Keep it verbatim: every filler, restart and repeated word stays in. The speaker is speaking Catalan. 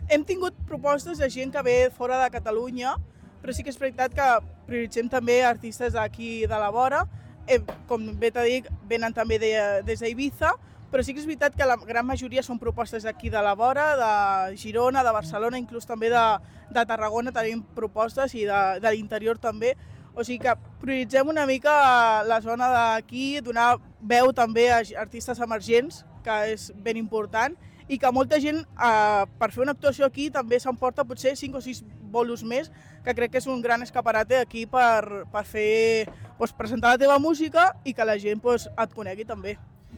hem tingut propostes de gent que ve fora de Catalunya, però sí que és veritat que prioritzem també artistes d'aquí de la vora. Eh, com bé t'he dit, venen també de, des d'Ibiza, però sí que és veritat que la gran majoria són propostes d'aquí de la vora, de Girona, de Barcelona, inclús també de, de Tarragona tenim propostes i de, de l'interior també. O sigui que prioritzem una mica la zona d'aquí, donar veu també a artistes emergents, que és ben important, i que molta gent, eh, per fer una actuació aquí, també s'emporta potser cinc o sis bolos més, que crec que és un gran escaparate aquí per, per fer, doncs, presentar la teva música i que la gent doncs, et conegui també.